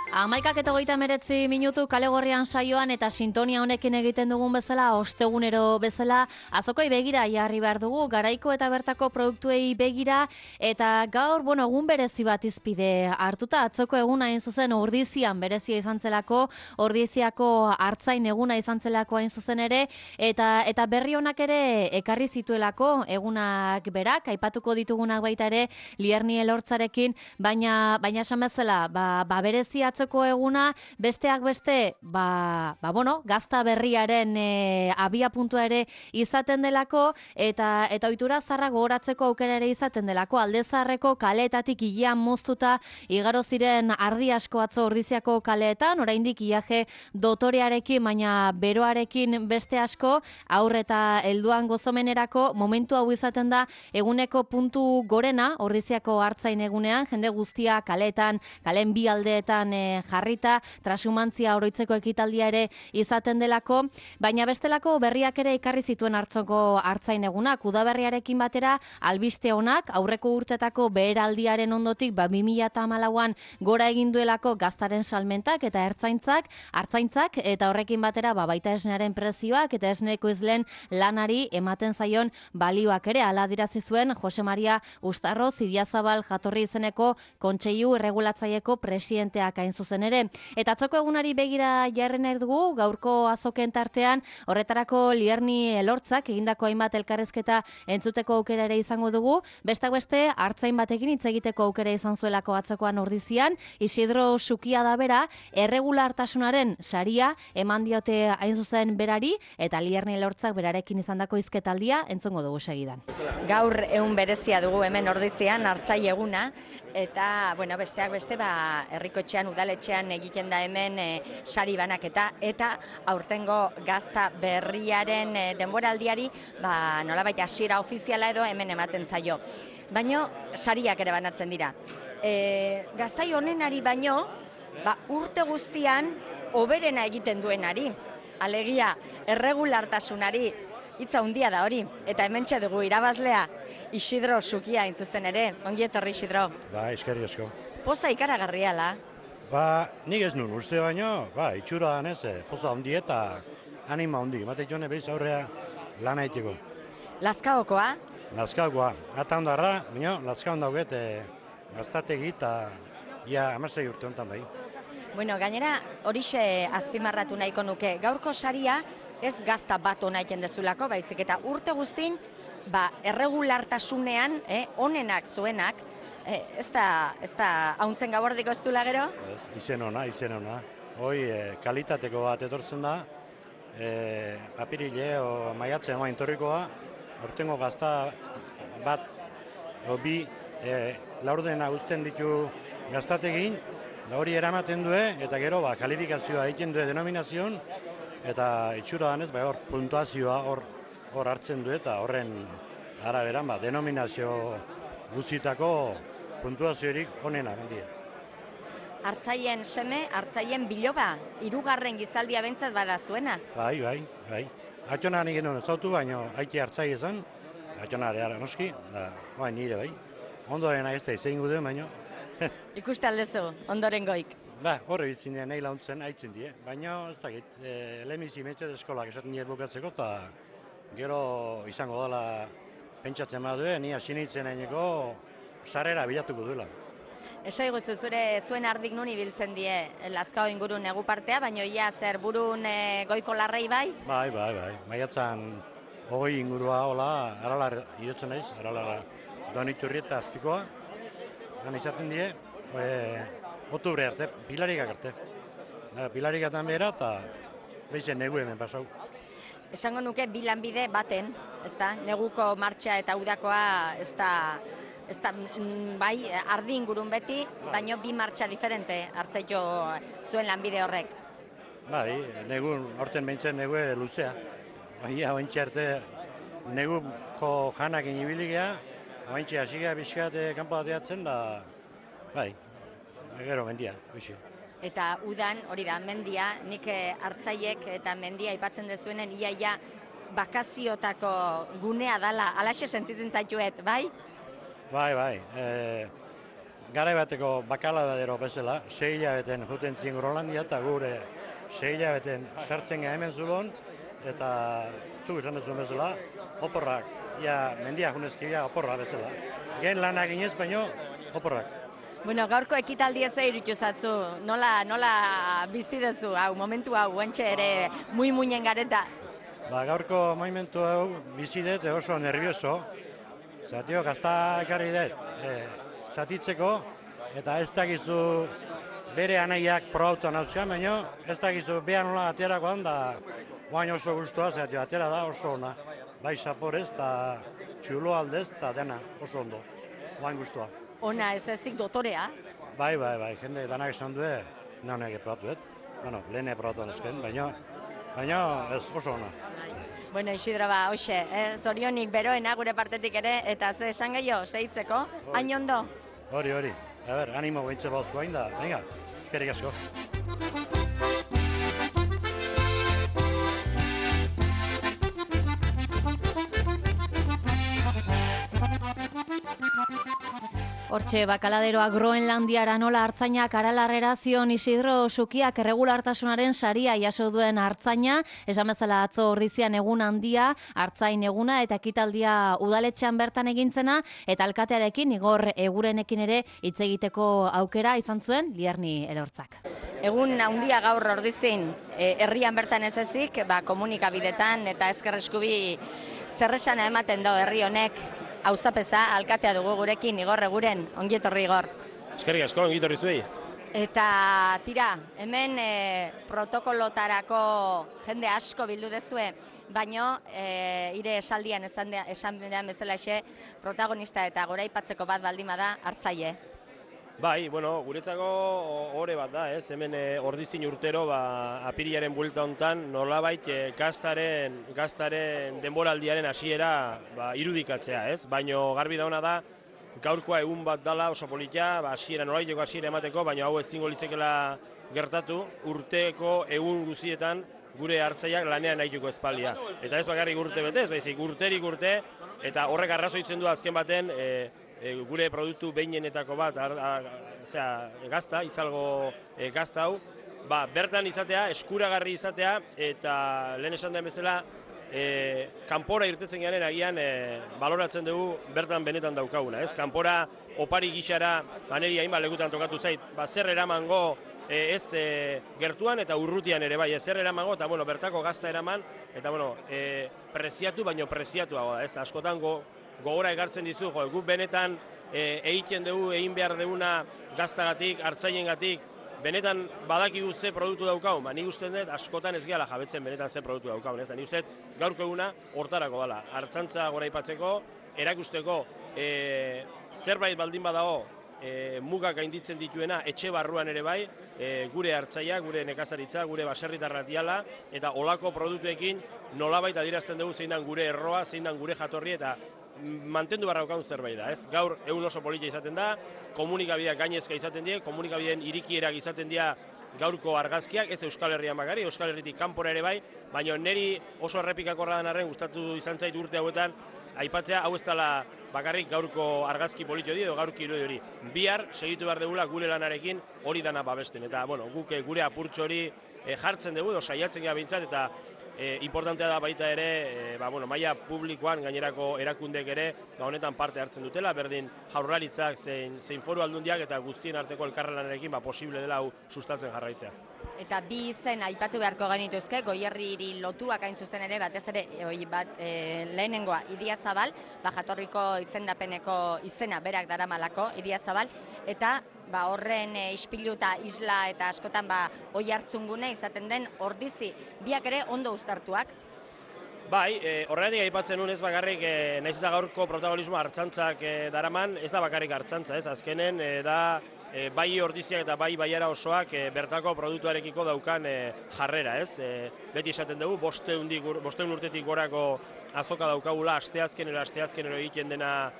11:39 kale gorrian saioan eta sintonia honekin egiten dugun bezala, ostegunero bezala, azokoi begira jarri behar dugu, garaiko eta bertako produktuei begira, eta gaur, egun berezi bat izpide hartuta, atzoko eguna hain zuzen Ordizian berezia izan zelako, Ordiziako hartzain eguna izan zelako hain zuzen ere, eta berri honak ere ekarri zituelako egunak berak, aipatuko ditugunak baita ere, Lierni Elortzarekin, baina esan bezala, berezi atzoko eguna, besteak beste, gazta berriaren abia puntua ere izaten delako, eta ohitura zarra gogoratzeko aukera ere izaten delako, alde zaharreko kaleetatik ilean moztuta, igaro ziren ardi asko atzo Ordiziako kaleetan, oraindik iaje dotorearekin, baina beroarekin beste asko, aur eta helduan gozomenerako, momentu hau izaten da, eguneko puntu gorena, Ordiziako hartzain egunean, jende guztia kaleetan, kalen bi aldeetan jarrita, trasumantzia oroitzeko ekitaldia ere izaten delako, baina bestelako berriak ere ekarri zituen hartzoko hartzain egunak, udaberriarekin batera, albiste honak, aurreko urtetako beheraldiaren ondotik, 2014an gora egin duelako gaztaren salmentak eta hartzaintzak, eta horrekin batera, baita esnearen prezioak eta esneko izlen lanari ematen zaion balioak ere, ala adirazi zuen Jose Maria Ustarro Zidiazabal jatorri izeneko kontseilu erregulatzaieko presidenteak hain zuzen ere. Eta atzoko egunari begira jarri nahi dugu, gaurko azoken tartean, horretarako Lierni Elortzak egindako hainbat elkarrezketa entzuteko aukera ere izango dugu, besteak beste hartzain batekin hitz egiteko aukera izan zuelako atzokoan Ordizian, Isidro Sukia da bera, erregulartasunaren saria eman diote hain zuzen berari, eta Lierni Elortzak berarekin izandako hizketaldia entzungo dugu segidan. Gaur egun berezia dugu hemen Ordizian, hartzai eguna, eta besteak beste herrikotxean, udaletxean egiten da hemen sari banaketa, eta aurtengo gazta berriaren denboraldiari nolabait hasiera ofiziala edo hemen ematen zaio. Baino sariak ere banatzen dira. Gaztai honenari baino, urte guztian hoberena egiten duenari, alegia erregulartasunari, hitza handia da hori, eta hementxe dugu irabazlea Isidro Sukia hain zuzen ere. Ongi etorri, Isidro. Eskerrik asko. Poza ikaragarriala. Nik ez nun uste baino, itxura danez, poza handi eta anima handi. Matek joan ebehiz aurrea lan haiteko. Lazkaokoa? Lazkaokoa. Ata ondarra, baina Lazkaon dauget gaztategi eta ia 16 urte honetan bai. Gainera, horixe azpimarratu nahiko nuke. Gaurko saria ez gazta bat hona egiten dezulako, baizik eta urte guztin, erregulartasunean, onenak zuenak, ez da hauntzen gabordiko ez dula gero? Izen ona. Hoi kalitateko bat etortzen da, apirile o maiatzen emain torrikoa, hortengo gazta bat, bi, laurdena uzten ditu gaztategin, da hori eramaten du, eta gero kalifikazioa egiten du denominazion, eta itxura danez, hor puntuazioa hor hartzen du, eta horren araberan, denominazio guzitako puntuaziorik onena gandia. Hartzaien seme, hartzaien biloba, 3. gizaldia bentzat bada zuena? Bai. Atxona nik genuen ezautu, baina haiti hartzai ezan, atxona ere noski, nire bai. Ondoren ez da izan gude, baina... Ikuste aldezu, ondoren goik? Horre bitzin nahi launtzen haitzen die, baina ez dakit, lehemizi metzet eskolak esaten dira bukatzeko, eta gero izango dela pentsatzen badue, ni asinitzen haineko sarrera bilatuko duela. Eso iguzu zuen ardik nun ibiltzen die Lazkao ingurun egu partea, baina ia zer burun goiko larrei bai? Bai. Maiatzan 20 ingurua hola, aralar idotzen naiz, aralar Doniturri eta Azpikoa, gan izaten die, Otubre arte, Pilarikak arte. Pilarikatan behera eta behizen negu hemen pasau. Esango nuke bi lanbide baten, ezta? Neguko martxa eta udakoa ez da bai, ardi ingurun beti, baino bi martxa diferente hartzaiko zuen lanbide horrek. Bai, horten behintzen negu luzea. Bai, haintxe arte neguko janakin ibiligea, haintxe hasigea bizkat kanpo bateatzen da, bai, gero mendia, hoxe. Eta udan, hori da, mendia, nik hartzaiek eta mendia aipatzen dezuenen iaia bakaziotako gunea dala, alaxe sentitzen zaituet, bai? Bai. garai bateko bakaladero bezala, 6 hilabeten juten ziren Groenlandia eta gure 6 hilabeten sartzen gara hemen zulon, eta zuk esan duzun bezala, oporrak, mendiak junezkia oporrak bezala. Gen lanak inez, baino oporrak. Bueno, gaurko ekitaldi ez iruditu zatzu, nola bizi duzu, momentu hau, guantxe ere muinen gareta. Gaurko momentu hau bizi dut oso nervioso, zatio gazta ekarri dut, zatitzeko, eta ez dakizu bere anaiak probautan hauzkan, baina ez dakizu behan nola aterakoan, da guain oso guztua, zatio atera da oso ona, bai saporez eta txulo aldez, eta dena oso ondo, guain guztua. Ona, ez ezik dotorea? Bai, jende danak esan du, nahonek probatu dut, lehen probatu ezken, baina ez oso ona. Bueno, Isidro, hoxe, zorionik beroena gure partetik ere, eta ze esan gehiago, sehitzeko, hain ondo? Hori, animo behintze bauzko hain da, venga, eskerrik asko. Hortxe, bakaladeroa Groenlandiara nola hartzainak aralarrera zion Isidro Sukiak erregulartasunaren saria jaso duen hartzaina, esan bezala atzo ordizian egun handia, hartzain eguna eta ekitaldia udaletxean bertan egintzena, eta alkatearekin Igor Egurenekin ere hitz egiteko aukera izan zuen Lierni Elortzak. Egun handia gaur ordizin, herrian bertan ez ezik, komunikabidetan eta ezker eskubi zerresana ematen do herri honek. Auzapeza, alkatea dugu gurekin, Igor Eguren, ongietorri Igor. Eskerrik asko, ongietorri zuei. Eta tira, hemen protokolotarako jende asko bildu dezue, baino ire esaldian esan denean bezala protagonista eta goraipatzeko bat baldin bada hartzaile. Bai, guretzako ore bat da, ez? Hemen ordizin urtero apirilaren buelta hontan nolabait gaztaren denboraldiaren hasiera irudikatzea, ez? Baino garbi dauna da gaurkoa egun bat dala oso politia, nolabaiteko hasiera emateko, baino hau ezingo litzekeela gertatu urteko egun guztietan gure hartzaileak lanean nahituko espaldia. Eta ez bakarrik urte betez, baizik urterik urte, eta horrek arrazoitzen du azken baten gure produktu behinenetako bat, gazta, izalgo gazta hau, bertan izatea, eskuragarri izatea, eta lehen esan den bezala, kanpora irtetzen garen agian baloratzen dugu bertan benetan daukaguna. Kanpora opari gixara, niri hainbat lekutan tokatu zait, zer eramango ez gertuan eta urrutian ere bai, zer eramango, eta bertako gazta eraman, eta preziatu, baino preziatuago da, askotan gogora ekartzen dizu, guk benetan egiten dugu, egin behar duguna gaztagatik, hartzailengatik, benetan badakigu ze produktu daukagun, nik uste dut askotan ez gehala jabetzen benetan ze produktu daukagun, nik uste dut gaurko eguna hortarako dela, hartzantza goraipatzeko, erakusteko zerbait baldin badago mugak gainditzen dituena etxe barruan ere bai, gure hartzaia, gure nekazaritza, gure baserritarra diala, eta olako produktuekin nolabait adierazten dugu zein dan gure erroa, zein dan gure jatorri, eta mantendu barra daukagun zerbait da, ez? Gaur egun oso politia izaten da, komunikabideak gainezka izaten die, komunikabideen irikierak izaten dira gaurko argazkiak, ez Euskal Herrian bakari, Euskal Herritik kanpora ere bai, baina niri oso errepikakorra den arren gustatu izan zait urte hauetan, aipatzea hau ez dela bakarrik gaurko argazki politio edo gaurko irudi hori. Bihar segitu behar dugula gure lanarekin hori dana babesten, eta guk gure apurtxo hori jartzen dugu, saiatzen gara bintzat, eta importantea da baita ere, maila publikoan gainerako erakundek ere honetan parte hartzen dutela, berdin jaurlaritzak zein foru aldundiak eta guztien arteko elkarlanarekin posible dela hau sustatzen jarraitzea. Eta bi izen aipatu beharko genituzke, Goierriri lotuak hain zuzen ere, batez ere lehenengoa Idiazabal, jatorriko izendapeneko izena berak daramalako Idiazabal, eta horren ispilu eta isla eta askotan oi hartzungune izaten den Ordizi, biak ere ondo uztartuak. Bai, horregatik aipatzen nuen ez bakarrik, nahiz eta gaurko protagonismoa hartzantzak daraman, ez da bakarrik hartzantza, ez azkenen da bai Ordiziak eta bai Baiara osoak bertako produktuarekiko daukan jarrera, ez? Beti esaten dugu, 500 urtetik gorako azoka daukagula asteazkenero egiten dena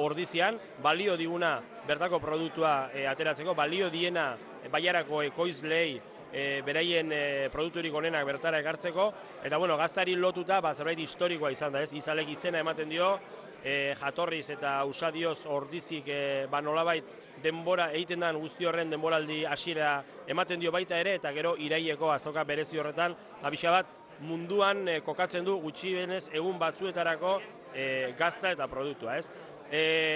Ordizian, balio diguna bertako produktua ateratzeko, balio diena Baiarako ekoizlei beraien produkturik onenak bertara ekartzeko, eta gaztari lotuta zerbait historikoa izan da, ez? Izalek izena ematen dio, jatorriz eta usadioz ordizik nolabait denbora egiten den guzti horren denboraldi hasiera ematen dio baita ere, eta gero iraileko azoka berezi horretan, pixa bat munduan kokatzen du gutxienez egun batzuetarako gazta eta produktua, ez?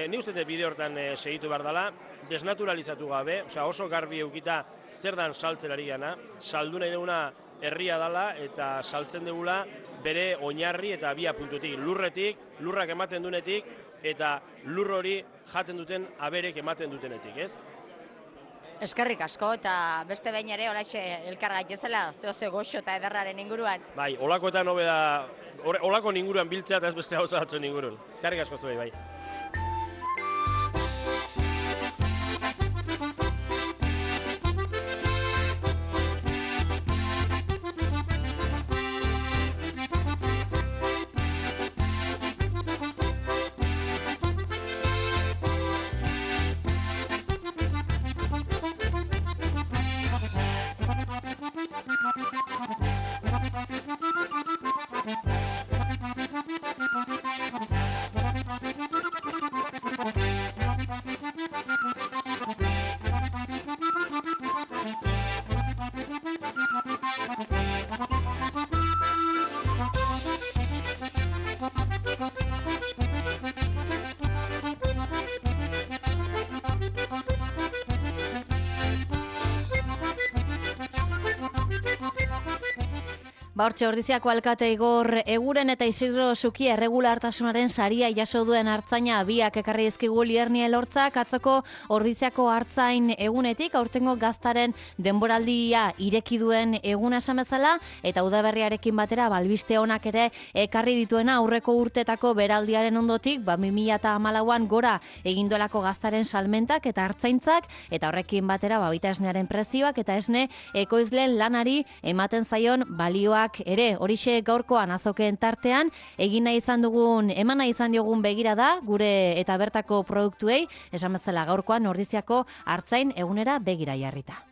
Ni uste dut bide hortan segitu behar dela, desnaturalizatu gabe, oso garbi eukita zer dan saltzen ari gana, saldu nahi duguna herria dela eta saltzen dugula bere oinarri eta abia puntutik, lurrak ematen dunetik, eta lur hori jaten duten aberek ematen dutenetik, ez? Eskerrik asko, eta beste behin ere oraxe elkar gaitezela, zehose goxo eta ederraren inguruan. Bai, olakoetan hobe da, olako inguruan biltzea eta ez beste gauza batzuen ingurun. Eskerrik asko zuei, bai. Hortxe Ordiziako alkate Igor Eguren eta Isidro Zuki erregulartasunaren saria jaso duen artzaina biak ekarri dizkigu Lierni Elortzak atzoko Ordiziako artzain egunetik aurtengo gaztaren denboraldia ireki duen eguna esan bezala eta udaberriarekin batera albiste onak ere ekarri dituena aurreko urtetako beraldiaren ondotik 2014an gora egin duelako gaztaren salmentak eta artzaintzak eta horrekin batera baita esnearen prezioak eta esne ekoizleen lanari ematen zaion balioak ere horixe gaurkoan azokeen tartean egin nahi izan dugun eman nahi izan diogun begirada gure eta bertako produktuei esan bezala gaurkoan Ordiziako artzain egunera begira jarrita.